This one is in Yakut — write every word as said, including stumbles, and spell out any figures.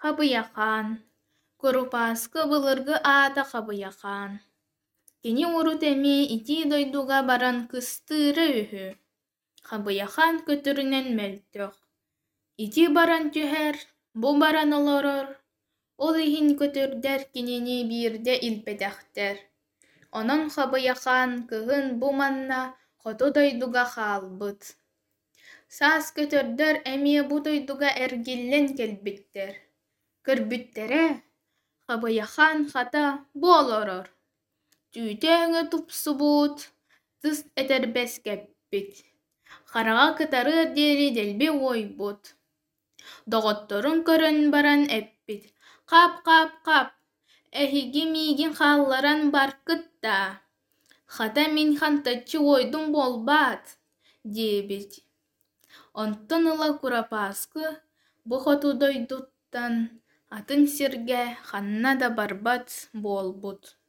Хабыйахаан, Курупааскы былыргы аата Хабыйахаан. Кини урут эмиэ итии дойдуга баран кыстыыра үһү. Хабыйахаан көтөрүнэн мөлтөх, ити баран түһэр, бу баран олорор, ол иһин көтөрдөр кинини биирдэ илпэтэхтэр. Онон Хабыйахаан кыһын бу манна хоту дойдуга хаалбыт. Саас көтөрдөр эмиэ бу дойдуга эргиллэн кэлбиттэр. Көрбүттэрэ, Хабыйахаан хата бу олорор, түүтэ-өҥө тупсубут, тыс этэрбэс кэппит, хараҕа кытарыар диэри дэлби уойбут. Доҕотторун көрөн баран эппит: «Хап-хап-хап, эһиги миигин хаалларан баркыт даа, хата мин хантаччы уойдум буолбаат» диэбит. Онтон ыла Курапааскы бу хоту дойдуттан атын сиргэ ханна да барбат буолбут.